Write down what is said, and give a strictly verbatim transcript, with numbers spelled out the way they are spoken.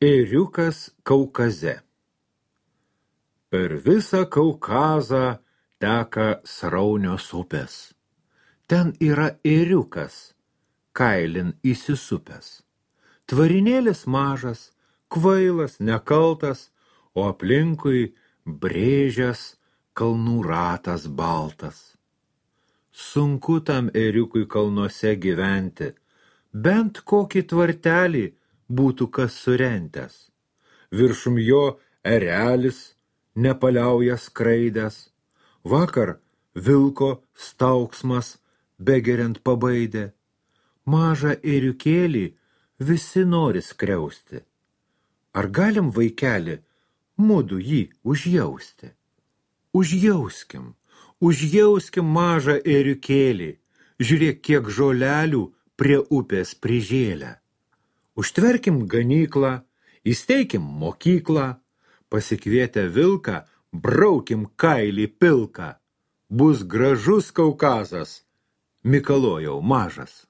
Ėriukas Kaukaze. Per visą Kaukazą teka sraunios upės. Ten yra ėriukas, kailin įsisupęs. Tvarinėlis mažas, kvailas, nekaltas, o aplinkui brėžęs kalnų ratas baltas. Sunku tam ėriukui kalnuose gyventi, bent kokį tvartelį būtų kas surentęs. Viršum jo erelis nepaliauja skraidęs. Vakar vilko stauksmas begeriant pabaidė. Mažą ėriukėlį visi nori skriausti. Ar galim, vaikeli, mudu jį užjausti? Užjauskim, užjauskim mažą ėriukėlį. Žiūrėk, kiek žolelių prie upės prižėlę. Užtverkim ganyklą, įsteikim mokyklą, pasikvietę vilką, braukim kailį pilką. Bus gražus Kaukazas, Mikalojau mažas.